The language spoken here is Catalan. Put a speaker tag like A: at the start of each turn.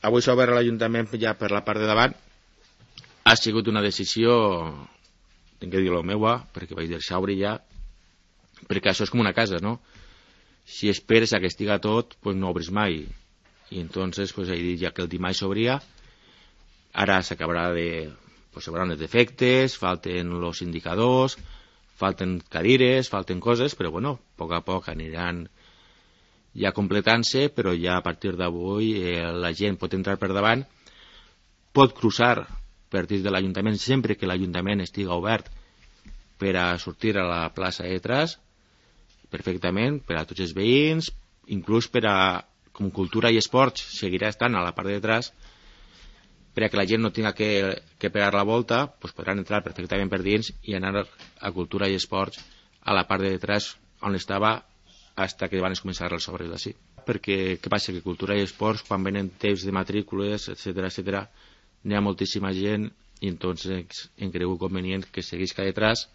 A: avui s'ha obert l'Ajuntament ja per la part de davant. Ha sigut una decisió, tinc que dir-ho meua, perquè vaig deixar obrir ja, perquè això és com una casa, no? Si esperes a que estiga tot, pues no obres mai. I entonces pues he dit ja que el dimarts s'obria, ara s'acabarà de... pues s'hauran els defectes, falten els indicadors, falten cadires, falten coses, però bueno, a poc aniran ja completant-se, però ja a partir d'avui la gent pot entrar per davant, pot cruçar per dins de l'Ajuntament sempre que l'Ajuntament estiga obert per a sortir a la plaça de Tras, perfectament, per a tots els veïns, inclús per a, com cultura i esports, seguirà estant a la part de Tras, per a que la gent no tinga que pegar la volta, pues podran entrar perfectament per dins i anar a cultura i esports a la part de Tras on estava fins que van començar els obres d'ací. Perquè què passa? Que cultura i esports, quan venen temps de matrícules, etc., n'hi ha moltíssima gent i entonces em creu convenient que seguisca detrás